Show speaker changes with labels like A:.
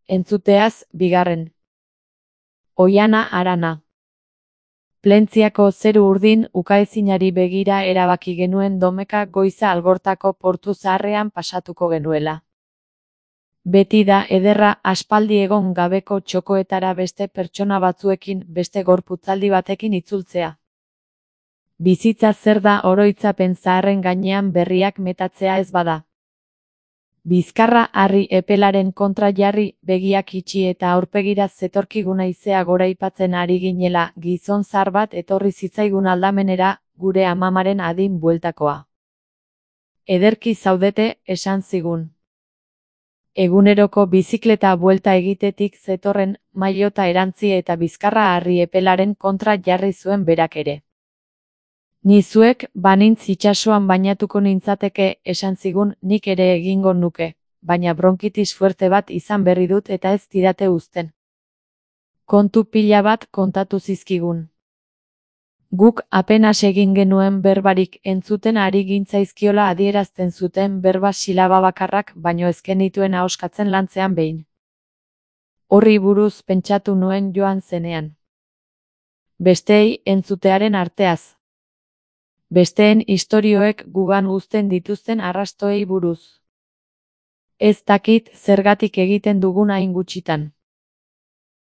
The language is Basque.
A: Entzuteaz, bigarren. Oihana Arana. Plentziako zeru urdin ukaezinari begira erabaki genuen domeka goiza Algortako portu zaharrean pasatuko genuela. Beti da ederra aspaldi egon gabeko txokoetara beste pertsona batzuekin, beste gorputzaldi batekin itzultzea. Bizitza zer da oroitzapen zaharren gainean berriak metatzea ez bada. Bizkarra harri epelaren kontra jarri, begiak itxi eta aurpegira zetorkigun haizea goraipatzen ari ginela, gizon zahar bat etorri zitzaigun aldamenera, gure amamaren adin bueltakoa. Ederki zaudete, esan zigun. Eguneroko bizikleta buelta egitetik zetorren, maillota erantzi eta bizkarra harri epelaren kontra jarri zuen berak ere. Ni zuek, banintz itsasoan bainatuko nintzateke, esan zigun, nik ere egingo nuke, baina bronkitis fuerte bat izan berri dut eta ez didate uzten. Kontu pila bat kontatu zizkigun. Guk apenas egin genuen berbarik entzuten ari gintzaizkiola adierazten zuten berba silaba bakarrak baino ez genituen ahoskatzen lantzean behin. Horri buruz pentsatu nuen joan zenean. Besteei entzutearen arteaz. Besteen istorioek gugan uzten dituzten arrastoei buruz. Ez dakit zergatik egiten dugun hain gutxitan.